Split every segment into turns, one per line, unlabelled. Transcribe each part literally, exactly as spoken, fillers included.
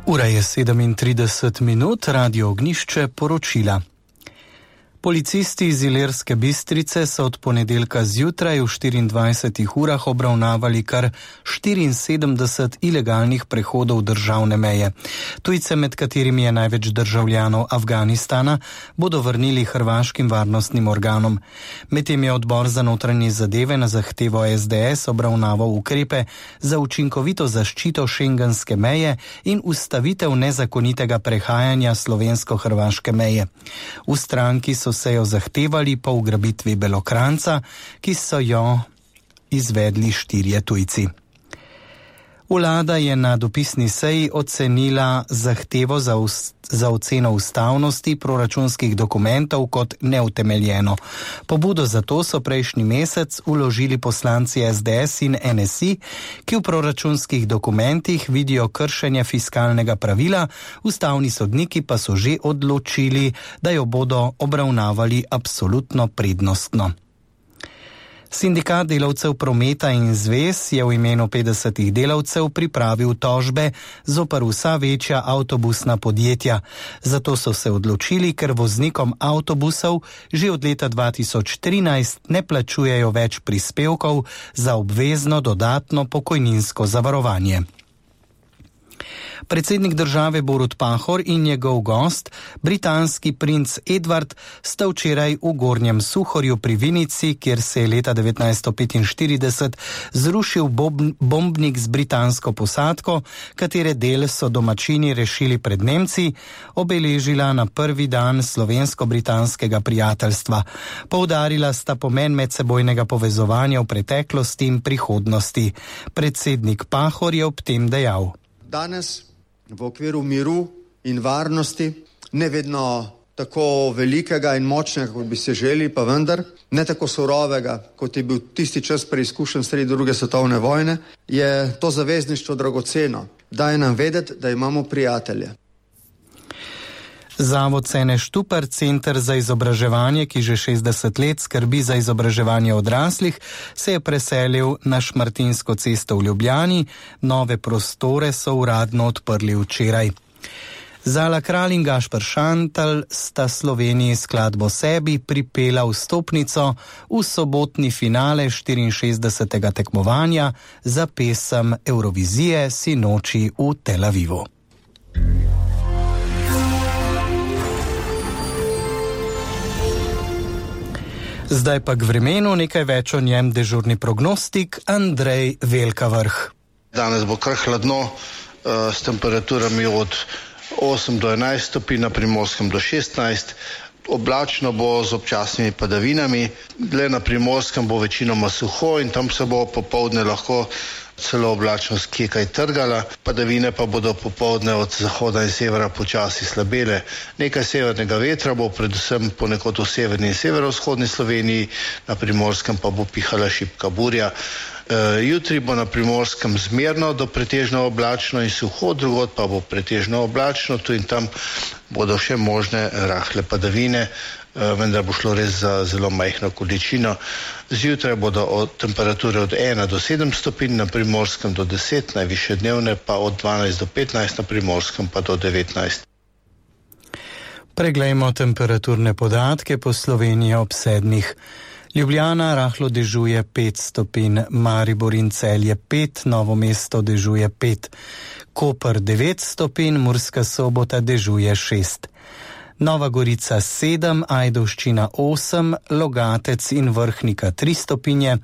Ura je sedemintrideset minut, Radio Ognjišče poročila. Policisti iz Ilirske Bistrice so od ponedeljka zjutraj v štiriindvajsetih urah obravnavali kar štiriinsedemdeset ilegalnih prehodov državne meje. Tujce, med katerimi je največ državljanov Afganistana, bodo vrnili hrvaškim varnostnim organom. Medtem je odbor za notranje zadeve na zahtevo es de es obravnaval ukrepe za učinkovito zaščito šengenske meje in ustavitev nezakonitega prehajanja slovensko-hrvaške meje. V stranki so sejo zahtevali po ugrabitvi Belokranca, ki so jo izvedli štirje tujci. Vlada je na dopisni seji ocenila zahtevo za, ust, za oceno ustavnosti proračunskih dokumentov kot neutemeljeno. Pobudo za to so prejšnji mesec vložili poslanci es de es in en es i, ki v proračunskih dokumentih vidijo kršenje fiskalnega pravila, ustavni sodniki pa so že odločili, da jo bodo obravnavali absolutno prednostno. Sindikat delavcev prometa in zvez je v imenu petdesetih delavcev pripravil tožbe zoper vsa večja avtobusna podjetja. Zato so se odločili, ker voznikom avtobusov že od leta dva tisoč trinajst ne plačujejo več prispevkov za obvezno dodatno pokojninsko zavarovanje. Predsednik države Borut Pahor in njegov gost, britanski princ Edward, sta včeraj v Gornjem Suhorju pri Vinici, kjer se je leta devetnajststo petinštirideset zrušil bombnik z britansko posadko, katere del so domačini rešili pred Nemci, obeležila na prvi dan slovensko-britanskega prijateljstva. Poudarila sta pomen medsebojnega povezovanja v preteklosti in prihodnosti. Predsednik Pahor je ob tem dejal:
Danes v okviru miru in varnosti, ne vedno tako velikega in močnega, kot bi se želi, pa vendar, ne tako surovega, kot je bil tisti čas preizkušen sredi druge svetovne vojne, je to zavezništvo dragoceno. Daje nam vedeti, da imamo prijatelje.
Zavod Sene Štupar, center za izobraževanje, ki že šestdeset let skrbi za izobraževanje odraslih, se je preselil na Šmartinsko cesto v Ljubljani. Nove prostore so uradno odprli včeraj. Zala Kralj in Gašper Šantal sta Sloveniji skladbo Sebi pripela vstopnico v sobotni finale štiriinšestdesetega tekmovanja za pesem Evrovizije sinoči v Tel Avivu. Zdaj pa k vremenu, nekaj več o njem dežurni prognostik Andrej Velkavrh.
Danes bo kar hladno, s temperaturami od osem do enajst stopinj, na Primorskem do šestnajst. Oblačno bo z občasnimi padavinami, le na Primorskem bo večinoma suho in tam se bo popoldne lahko celo oblačnost kje kaj trgala, padavine pa bodo popoldne od zahoda in severa počasi slabele. Nekaj severnega vetra bo predvsem ponekod v severni in severovzhodni Sloveniji, na Primorskem pa bo pihala šibka burja. E, jutri bo na Primorskem zmerno do pretežno oblačno in suho, drugod pa bo pretežno oblačno, tu in tam bodo še možne rahle padavine, vendar bo šlo res za zelo majhno količino. Zjutraj bodo od temperature od ena do sedem stopinj, na Primorskem do deset, najvišje dnevne pa od dvanajst do petnajst, na Primorskem pa do devetnajst.
Preglejmo temperaturne podatke po Sloveniji ob sedmih. Ljubljana rahlo dežuje pet stopinj, Maribor in Celje pet, Novo mesto dežuje pet, Koper devet stopinj, Murska Sobota dežuje šest. Nova Gorica sedem, Ajdovščina osem, Logatec in Vrhnika tri stopinje,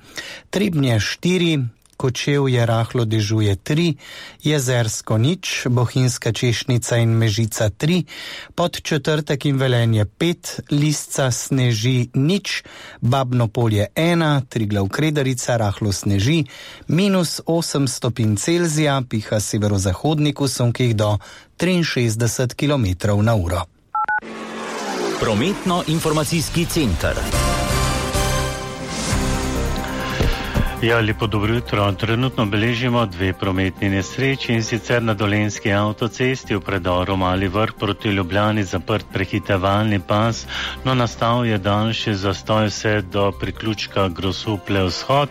Trebnje štiri, Kočevje rahlo dežuje tri, Jezersko nič, Bohinjska Češnica in Mežica tri, Podčetrtek in Velenje pet, Lisca sneži nič, Babno Polje ena, Triglav Kredarica rahlo sneži, minus osem stopinj Celzija, piha severozahodnik v sunkih do triinšestdeset kilometrov na uro.
Prometno-informacijski center.
Ja, lepo dobro jutro. Trenutno beležimo dve prometni nesreči, in sicer na Dolenjski avtocesti v predoru Mali Vrh proti Ljubljani zaprt prehitevalni pas, no nastal je daljši zastoj vse do priključka Grosuplje vzhod.